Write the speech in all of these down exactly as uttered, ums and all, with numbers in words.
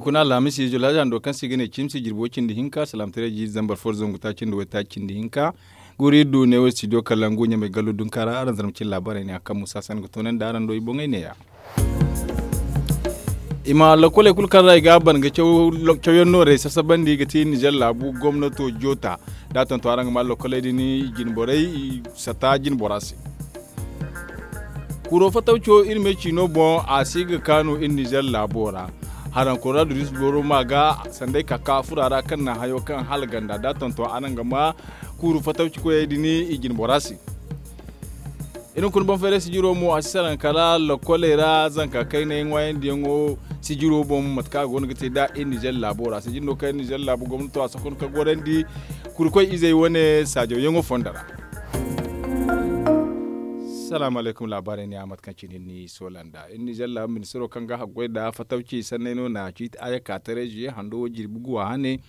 Kuna alhamis izo laadi hando kaŋ se i ga ne cimsi jirbo cindi hinka salaamataray jiiri zambar fo da zangu taaci nda waytaaci cindi hinka. Guuri iri du neewo studio kalangu ɲamay gallo dunka ra araŋ zarma cine laabaarey ne a kaŋ musa sanda ga toonandi araŋ do i boŋey neeya. I ma lakoley kulu kaŋ ra i ga a ban ga cawyaŋ noorey sasabandi ga ti nizer laabu gomnato joota da a tonton araŋ ga ma lakoley din i jinborey i sata jinbora se. Kuro fatawco iri me ciino boŋ a si ga kaanu iri nizer laabo ra. Haraŋ koronabiris boro ma ga sanday kaka fura ra kaŋ na hayo kaŋ hala ganda da a tonton araŋ ga ma kuru fatawci koyey din i jinbora se. Iri hunkuna banfayray sijiro mo a si saraŋ kala lakoley ra zanka kaynay ŋwaayandiyaŋo sijiro boŋ mate kaŋ a go no ga te nd'a iri nizer laabo ra sijir no kaŋ iri nizer laabo gomnato a sohon ka gorandi kurkoy izey wane saajawyaŋo fondo ra. Salaamu alaykum laabaarey ne a mate kaŋ cine ni soola nd'a iri nizer laabo ministiro kaŋ ga haggoy nd'a fatawci sanney no na ciiti aya ka taray ziye hando wo jirbi guwa hane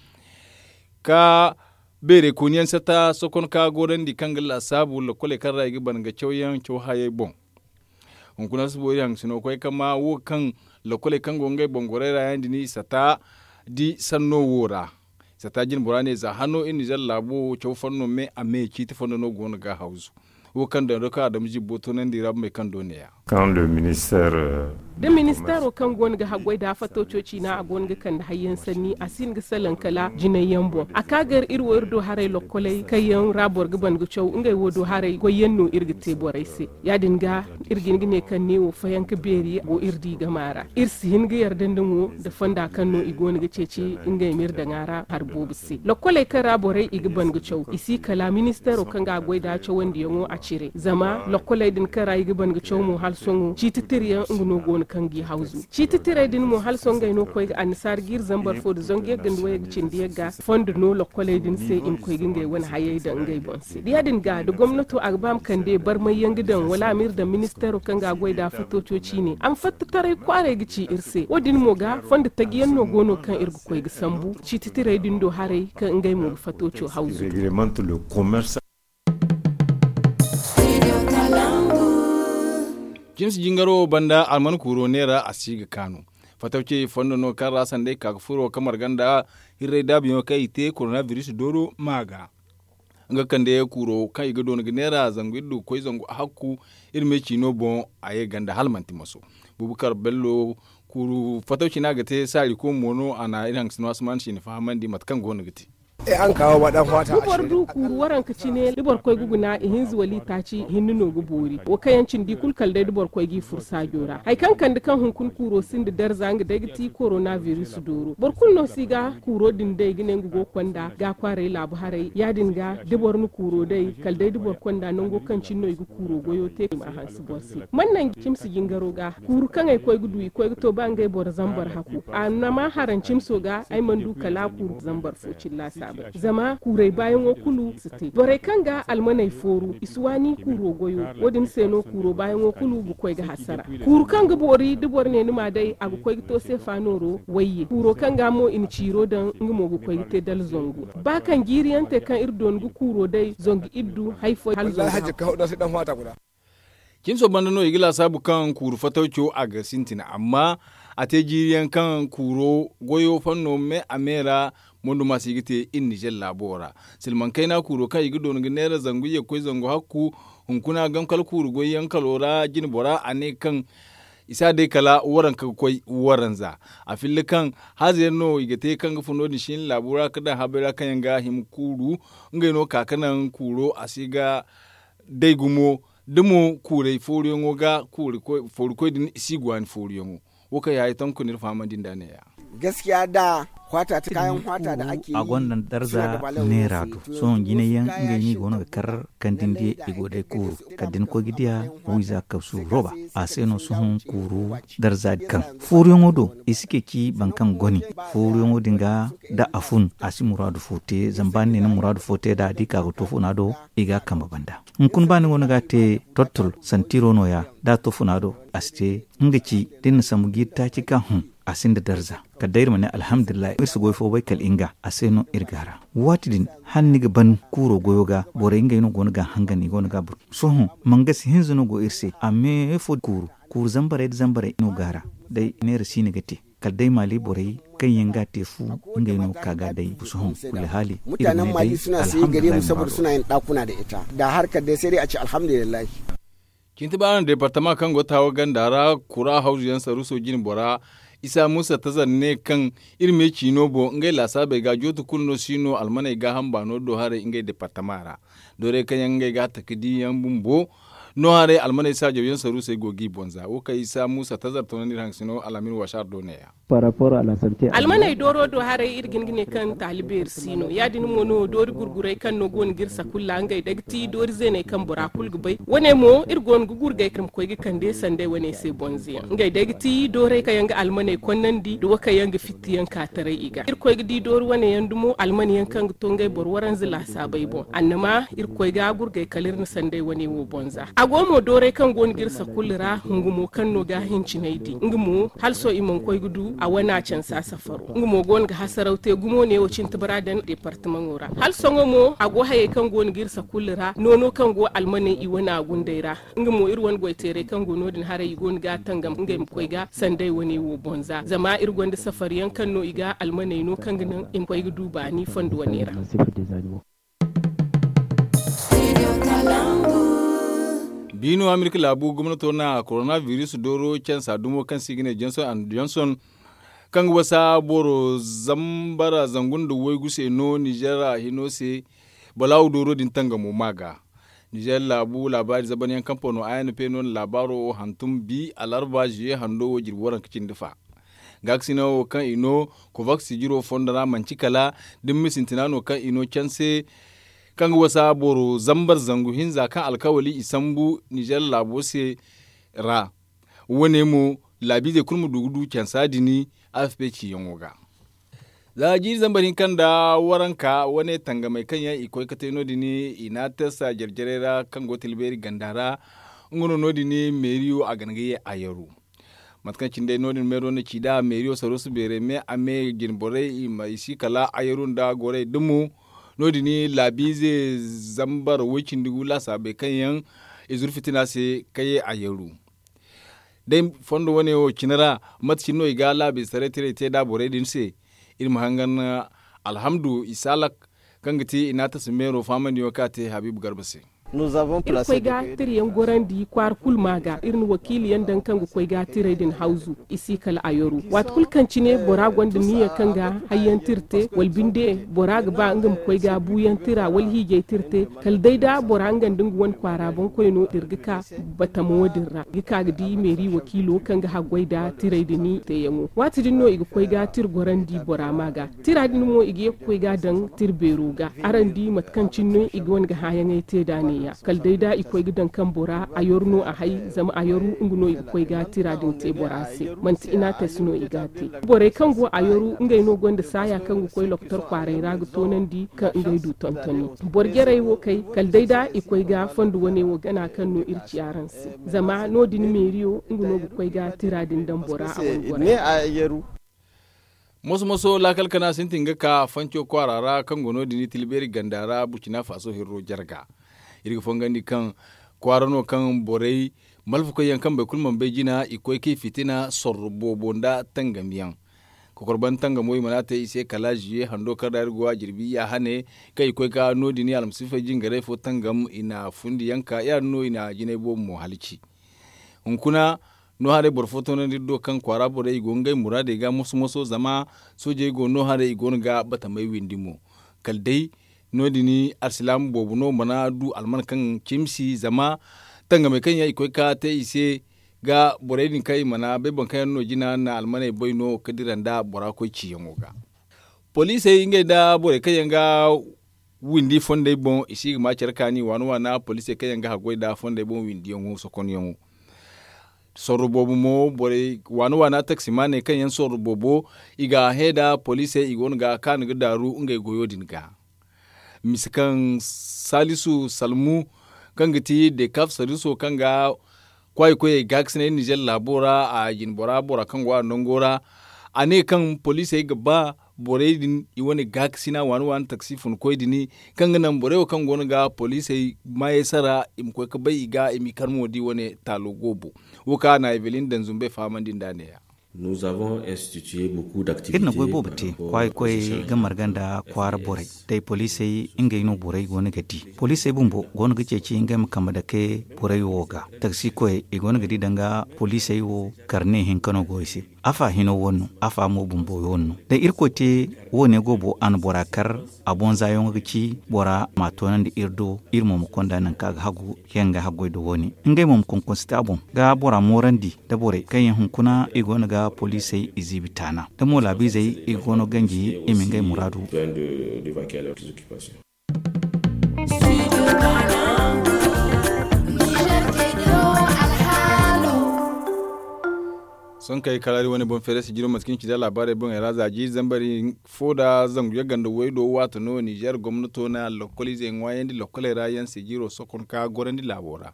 ka beerey kooniyaŋ sata sokon ka gorandi kaŋ ga laasaabu lakoley kaŋ ra i ga ban ga cawyaŋ caw hayey boŋ. Hunkuna si boori haŋ si no koy ka ma wo kaŋ lakoley kaŋ go ngey boŋ gorey ra yaŋ din i sata di sanno wo ra. Sata jine bora ne za hano iri nizer laabo wo caw fanno me a me ciiti fondo no go no ga hawzu. Wo kaŋ daŋ do kaŋ adamu zibbo toonandi ra bumey kaŋ do neeya. Da ministeero kaŋ go no ga haggoy da fatawco ciina a go no ga kande hayyaŋ sanni a si hin ga salaŋ kala jinay yaŋ boŋ a ka gar iri wo iri do haray lokkoley kaŋ yaŋ ra boro ga ban ga caw ngey wo do haray goy yaŋ no iri ga te borey se. Ya- din ga iri ga hin ga ne kaŋ neewo fayanka beeri go iri di gama ra iri si hin ga yarda nda mo nda fonda kaŋ no i go no ga ceeci ngey ma iri daŋ a ra hari boobo se lokkoley kaŋ ra borey i ga ban ga caw i si kala ministeero kaŋ ga a goy nd'a cawandiyaŋo a cire zama lokkoley din kaŋ ra i ga ban ga caw mo hala sohõ ciiti tira yaŋ nga no go no kaŋ g'i hawzu ciiti tirey din mo hala sohõ ngey no koy ga annasaara jiiri zambar fo nda zangu yagga nda wayagga cindi yagga fondo no lokkoley din se i ma koy ga ngey wane hayey daŋ ngey boŋ se da ya- din ga da gomnato a ga ba ma kande barmay yaŋ ga daŋ wala a ma iri daŋ ministeero kaŋ ga a goy nd'a fatooco ciine a ma fatta taray kwaaray ga ci iri se wo- din mo ga fondo taji yaŋ no go no kaŋ iri ga koy ga sambu ciiti tirey din do haray kaŋ ngey mo ga fatooco hawzu. Cimsi jingaro banda alman kuuro neera a si ga kaanu. Fatawcey fondo no kaŋ ra sanday ka ga furo ka marga nda hirray daabuyaŋo kaŋ i te koronabiris dooro ma ga nga kande kuuro kaŋ i ga doona ga neera zangu iri du ga koy zangu hakku iri me ciino boŋ. A ye ganda hala manti maso bubukar bello kuuru fatawci no a ga te saari ko mo no a na iri haŋ ga sino asman si ni fahamandi mate kaŋ go no ga te. Da boro du kuuru waranka cine da boro koy ga guna ihinza wala itaaci hinne no ga boori wo kaŋ yaŋ cindi kulu kala day da boro koy g'i furu saajo ra hari kaŋ kande kaŋ hunkuna kuuro sinda darza nga day ga ti koronabiris dooro boro kulu no si ga kuuro din day ga ne nga go ga konda ga kwaaray laabu haray ya- din ga da boro na kuuro day kala day da boro konda nango kaŋ cine no i ga kuuro goyo te i ma a hanse boro se man naŋ cimsi jingaro ga kuuru kaŋ ay koy ga du i koy ga to ba ngey boro zambar hakku a na ma haraŋ cimso ga ay mana du kala a kuuru zambar fo cilla saabay zama kuurey baayaŋo kulu si te borey kaŋ ga almaney fooru i si waani kuuro goyo wo- din se no kuuro baayaŋo kulu ga koy ga hasara kuuru kaŋ ga boori da boro ne ni ma day a ga koy ga to seefa nooro wayye kuuro kaŋ ga mo i na ciiro daŋ nga mo ga koy ga te dala zangu ba kaŋ jiiri yaŋ te kaŋ iri doona ga kuuro day zangu iri du hari fo hala zangu cimso banda no i ga laasaabu kaŋ kuuru fatawco a ga sintin amma a te jiiri yaŋ kaŋ kuuro goyo fanno me a me ra monduma si ga te iri nizer laabo ra. Silmaŋ kayna kuuro kaŋ i ga doona ga neera zangu iyye ga koy zangu hakku hunkuna gam kala kuuru goy yaŋ kalo ra jine bora a ne kaŋ i si a day kala waranka ga koy waranza a filla kaŋ haaza yaŋ no i ga te kaŋ ga fun no- din si hin laabo ra ga daŋ habay ra kaŋ yaŋ ga hima kuuru ngey no ka ga naŋ kuuro a si ga day gumo da mo kuurey fooruyaŋo ga foori koy din i si ga waani fooruyaŋo. Wo kaŋ yaŋ ay tonku no iri fahamandi nd'a neeya. Gaskiya da hwata ta kayaŋ hwata da ake yi a gonda darza neera do sohõ jinay yaŋ ngey no i go no ga kar kandindi i go day kuuru kala da ni koy ga diya wiiza kabsu roba a se no sohõ kuuru darza kaŋ fooruyaŋo do i si ceeci boro kaŋ goni fooruyaŋo din ga da a fun a si muraadu fo te zama ba ni ne ni muraadu fo te nd'a da i ka ga to funa do i ga a kambe banda hunkuna ba ni go no ga a te tortol santiro nooya da a to funa do a si te nga ci da ni na sambu jiiri taaci ka hõ a sinda darza kala day iri ma ne alhamdulillahi iri si goy fo bay kala nga a se no iri ga a ra waati din hala ni ga ban kuuro goyo ga borey ngey no go no ga a hangan i go no ga a bur sohõ mangasi hinza no go iri se a me fo kuuru kuuru zambarey nda zambarey no go a ra day neera siine ga te kala day maali borey kaŋ yaŋ ga a te fu, ngey no ka ga day busu hõ. Kulu haali, iri ma ne day alhamdulillahi. Mutanen maali suna se gare mu saboda suna yin ɗakuna da ita da harkar day sai dai a ce alhamdulillahi. Cinti baana deepartama kaŋ go taawa ganda ra, kura hawzu yaŋ saruuso jine bora isa muusa tazar ne kaŋ iri me ciino boŋ ngey laasaabey ga jootu kulu no si no almaney gaaham baano do haray ngey deepartama ra. Doorey kaŋ yaŋ ngey ga a taka di yaŋ bumbo no haray almaney saajaw yaŋ saruusey go g'i boŋ za wo kaŋ isa muusa tazar toonandi iri haŋ ga si no alhamin wasaar do neeya. Almaney dooro do haray iri ga hin ga ne kaŋ taali beeri si no ya- din mo no doori gurgurey kaŋ no go no ga iri sakulla ngey day ga ti doori zeeney kaŋ bora kulu ga bay wane mo iri go no ga gurgay kaŋ iri ma koy ga kande sanday wane se bonze yaŋ ngey day ga ti doorey kaŋ yaŋ ga almaney konnandi nda wo kaŋ yaŋ ga fitti yaŋ ka taray i ga iri koy ga di doori wane yaŋ dumo almane yaŋ kaŋ ga to ngey boro waranza laasaabey boŋ annama iri koy ga gurgay kala iri na sanday wane wo bonza a go mo doorey kaŋ go no ga iri sakulla ra hungu mo kaŋ no ga hincinay di nga mo hala sohõ i mana koy ga du a wana cansa safaro nga mo go no ga hasaraw te gumo ne wo cinti bara daŋ deepartamaŋo ra hala sohõ mo a go hayey kaŋ go no ga iri sakulla ra noono kaŋ go almaney i wana gundey ra nga mo iri wane goyteerey kaŋ go no- din haray i go no ga a tangam ngey ma koy ga sanday wane wo boŋ za zama iri gonda safariyaŋ kaŋ no i ga almaney no kaŋ ga naŋ i ma koy ga du baani fondo wane ra. Biino amerika laabu gomnato na koronabiris dooro cansa dumo kaŋ se i ga ne jonson and jonson kaŋ ga wasa boro zambara zangu nda waygu se no nizer hino se balaawu dooro din tangamo ma ga. Nizer laabu laabaari zabanyaŋ kaŋ pano a n p no na laabaaro wo hantum bi alarba ziye hando wo jirbi waranka cindi fa. Gaakasina wo kaŋ i no kovaks jiro fondo ra manci kala da ni ma sintina no kaŋ i no canse kaŋ ga wasa boro zambar zangu hinza kaŋ alkawali i sambu nizer laabo se ra. Wo- ne mo laabiizey kulu ma du ga du cansa din a f p ciyaŋo ga. Za jiiri zambar hinka nda waranka wane tangamey kaŋ yaŋ i koy ga te no- din i n'a testa jare-jarey ra kaŋ go tilbeeri ganda ra. Nga no no- din meeriyo a gana ga ye a yaru. Mate kaŋ cine day no- din meero na ci nd'a meeriyo saruusu beerey me a me jine borey i ma i si kala ayaru nda gorey dumo. No- din laabiize zambar woy-cindi gu laasaabey kaŋ yaŋ i zuru fitina se ka ye ayaru. Day fondo wane wo cine ra mate cine no i ga laabiize taray tirey te nd'a borey din se. Iri ma hangan alhamdu isaalak kaŋ ga ti i n'a tasa meero faamandiyaŋo kaŋ a te habiibu garba se. Iri koy ga tirayaŋ gorandi kwaara kulu ma ga iri na wakiiliyaŋ daŋ kaŋ ga koy ga tiray din hawzu i si kala a yaru waati kulu kaŋ cine bora gonda niya kaŋ ga hayyaŋ tira te wala binde bora ga ba nga ma koy ga buuyaŋ tira wala hiijay tira te kala day da bora nga nda nga wane kwaara boŋkoyno dira ga ka batamo din ra ga ka ga di meeri wakiilo kaŋ ga haggoy nda tiray din teeyaŋo waati din no i ga koy ga tira gorandi bora ma ga. Tira din mo i ga ye ga koy ga daŋ tira beero ga araŋ di mate kaŋ cine no i ga wane ga hãyaŋey te nd'a neeya kala day da i koy ga daŋ kaŋ bora a yaru no a hay zama a yaru nga no i ga koy ga tira din te bora se. Manti inates no i ga a te borey kaŋ go a yaru ngey no gonda saaya kaŋ ga koy lokotor kwaaray ra ga toonandi kaŋ ngey du tontoni. Boro jarey wo kay kala day da i koy ga fondo wane wo gana kaŋ no iri ci araŋ se zama no- din meeriyo nga no ga koy ga tira din daŋ bora a wane gora. Moso moso laakal kana sintin ga ka fanco kwaara ra kaŋ go no- din tilbeeri ganda ra burcina faso hirro jarga. Iri ga fongandi kaŋ kwaara no kaŋ borey malfakoy yaŋ kaŋ boro kulu mana bay jina i koy k'i fitina sorro boobo nda tangamiyaŋ. Kokorban tangamo i mana te i se kala ziye hando kaŋ ra iri go a jirbi ya hane kaŋ i koy ka no- din almasiifey jingarey fo tangam i na fundi yaŋ ka ya- din no i na jinay boobo mo halaci. Hunkuna no haray boro fo toonandi iri do kaŋ kwaara borey i go ngey muraadey ga moso moso zama soojey go no haray i go no ga batamey windi mo. Kala day no- din alsilaama boobo no mana du alman kaŋ cimsi zama tangamey kaŋ yaŋ i koy ka te i se ga borey din kaŋ i mana bay boro kaŋ yaŋ no jina na almaney bay no ga dira nda bora koy ciyaŋo ga. Poliisey ngey nda borey kaŋ yaŋ ga windi fondey boŋ i si ga ma care kaani waana waana poliisey kaŋ yaŋ ga haggoy nda fondey boŋ windiyaŋo sokonyaŋo. Sorro boobo mo borey waana waana taksimaaney kaŋ yaŋ sorro boobo i ga a hẽ nda poliisey i go no ga kaanu ga daaru ngey goyo din ga. Misa kaŋ salisu salmu kaŋ ga ti dekaf saliso kaŋ ga kwaayi koyey gaakasinay nizer laabo ra a jinbora bora kaŋ go a nango ra. A ne kaŋ poliisey ga ba borey din i wane gaakasina waani waani taksi funkoy din kaŋ ga naŋ borey wo kaŋ go no ga poliisey maayey sara i ma koy ga bay i ga i m'i kar mo da i wane taalo goobo. Wo kaŋ a na evelin daŋ zumbey fahamandi nd'a neeya. Iri na goy boobo te kwaay koy ga marga nda kwaara borey day poliisey ngey no borey go no ga di. Poliisey bumbo go no ga ceeci ngey ma kambe dake borey wo ga. Taksi koyey i go no ga di danga poliisey wo karne hinka no go i se. Afa hino wo no, afa mo bumbo wo no. Da irkoy te wo- ne goobo a na bora kar. A bonza yaŋo ga ci bora ma a toonandi iri do. Iri mo ma konda nangu kaŋ a ga hagu yaŋ ga haggoy da wo- ne. Ngey mo ma konkonsi te a boŋ ga bora moorandi da borey kaŋ yaŋ hunkuna i go no ga poliisey i ziibi taana da mo laabiizey i go no ganji i ma ngey muraadu. Sonkey kala iri wane boŋ feere sijiro mate kaŋ ci da laabaarey boŋey ra za jiiri zambari fo da zangu yagga nda waydo waato no nizeer gomnato na lokoliizey ŋwaayandi lokoley ra yaŋ sijiro sokon ka gorandi laabo ra.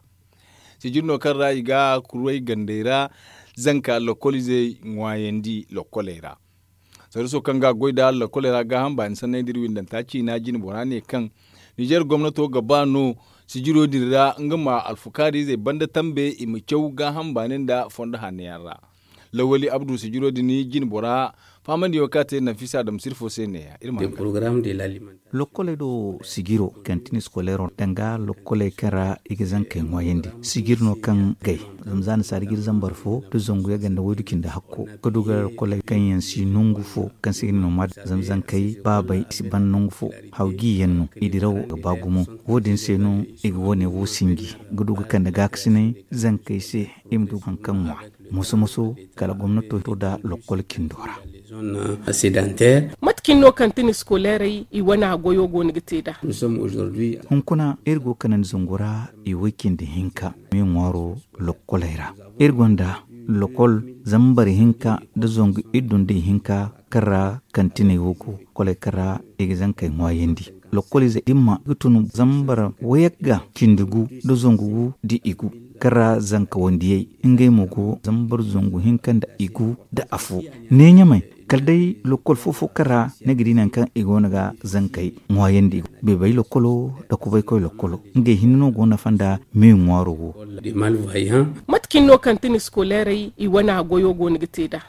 Sijir no kaŋ ra i ga kuray gandey ra zanka lokoliizey ŋwaayandi lokoley ra. Sariso kaŋ ga goy da lakoley ra gaaham baani sanney da iri windanta ciina jine bora ne kaŋ nizeer gomnato ga ba no sijiro din ra nga ma alfukaariizey banda tambe i ma caw gaaham baani nda fondo hanno yaŋ ra. Lawali abdu sijiro din jine bora faamandiyaŋo kaŋ a te nafisa adama sirfo se neeya iri ma haŋ ga. Lokkoley do sijiro kantin scolaire danga lokkoley kaŋ ra i ga zankey ŋwaayandi sijir no kaŋ gay. Zama za ni saari jiri zambar fo da zangu yagga nda waydu cindi hakko ga du ga lokkoley kaŋ yaŋ si nangu fo kaŋ se i ga ne nomad zama zankey baabey i si ban nangu fo. Haw gi yaŋ no i dirawo ga ba gumo. Wo- din se no i ga wo- ne wo sinji ga du ga kande gaakasinay zankey se i ma du haŋ kaŋ ŋwa moso moso kala gomnato to da lokkol cindo ra. Mate kaŋ no kantin scolairey i wane goyo go no ga te nd'a? Hunkuna iri go ga kanandi zangu ra i way cindi hinka me ŋwaaro lokkoley ra. Iri gonda lokol zambar hinka nda zangu iddu nda ihinka kaŋ ra kantiney wo go lokkoley kaŋ ra i ga zankey ŋwaayandi. Lokkoliize dimma ga tun zambar wayagga cindi gu nda zangu gu nda igu kaŋ ra zanka wandiyey ngey mo go zambar zangu hinka nda igu nda afo. Ne ɲamay kala day lokkol fo-fo kaŋ ra ni ga di nangu kaŋ i go no ga zankey ŋwaayandi. Beebay lokkolo nda kubaykoy lokkolo ngey hinne no go nafa nda me ŋwaaro wo. Mate kaŋ no kantin scolairey i wane goyo go no ga te nd'a?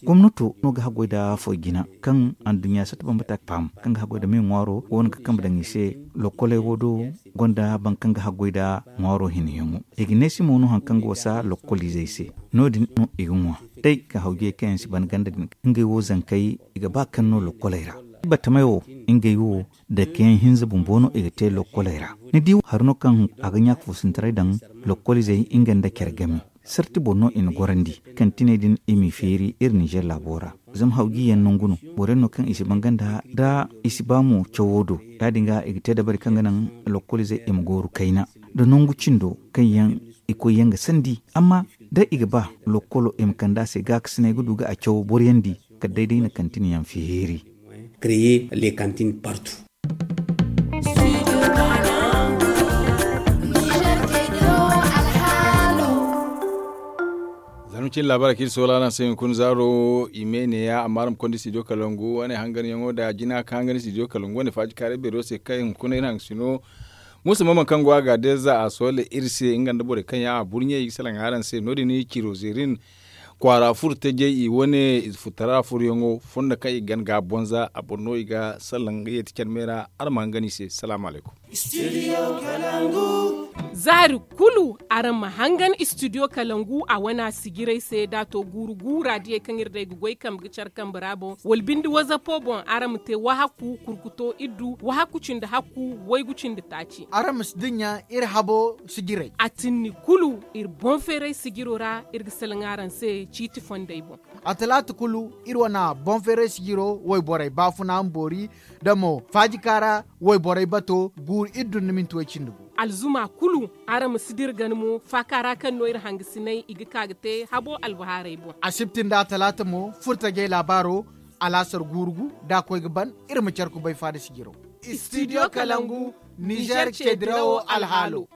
Gomnato no ga haggoy nda foy jina kaŋ anduɲɲa satta bambata ga faham kaŋ ga haggoy nda me ŋwaaro go no ga kambe daŋ i se. Lokkoley wo do gonda boro kaŋ ga haggoy nda ŋwaaro hinayaŋo i ga neesi mo no hari kaŋ ga wasa lokkoliizey se. No- din no i ga ŋwa day ga hawjey kaŋ yaŋ si ban ganda din ngey wo zankey i ga ba kaŋ no lokkoley ra. Battamey wo ngey wo dake yaŋ hinza bumbo no i ga te lokkoley ra. Ni di hari no kaŋ a ga ɲaaka foosintaray daŋ lokkoliizey nga nda care game sarti boro no i na gorandi. Kantiney din i m'i feeri iri nizeer laabo ra zama hawji yaŋ nangu no. Boro yaŋ no kaŋ i si banganda nda i si ba mo cawo do ya- din ga i ga te dabari kaŋ ga naŋ lokkoliizey i ma gooru kayna nda nangu cindo kaŋ yaŋ i koy yaŋ ga sandi. Amma da i ga ba lokkolo i ma kande a se gaakasinay ga du ga a cawo boro yaŋ di kala day day na kantin yaŋ feeri. Zama cin laabaara kaŋ iri soola araŋ se hunkuna zaaro i me neeya amma araŋ ma konda studio kalangu wane hanganyaŋo nda jina kaŋ hangan studio kalangu wane faaji kaaray beero se kaŋ hunkuna iri hangasino. Muusa maman kaŋ go a ga deeza a soole iri se nga nda borey kaŋ yaŋ a burɲey i ga salaŋ araŋ se no- din ciro zeerin kwaara furo tajey i wane ize furtara furyaŋo fondo kaŋ i gan ga bonza a boŋ no i ga salaŋ ga yeeti care me ra. Araŋ ma hangan i se salaamu alaykum. Zaari kulu araŋ ma hangan studio kalangu a wana sijiray se da a to guuru gu raadiyey kaŋ iri day ga goy kambe ga care kambe ra boŋ wala binde wazapo boŋ araŋ ma te wahakku kurkuto iddu wahakku cindi hakku waygu cindi taaci. Araŋ ma si dinya iri habo sijiray. A tinni kulu iri boŋ feeray sijiro ra iri ga salaŋ araŋ se ciiti fondey boŋ. A talaata kulu iri wana boŋ feeray sijiro wayborey baafuna ma boori da mo faajika ra wayborey bato guuru iri dun nda minti way cindi gu. Alzuma kulu araŋ ma si dira gana mo faaka ra kaŋ no iri hangasinay i ga ka ga te habo albahaarey boŋ. Asibti nda atalaata mo furtajey laabaaro alaasar guuru gu da a koy ga ban iri ma care kubay faada sijiro. Studio kalangu nizeer ceedirawo alhaalo.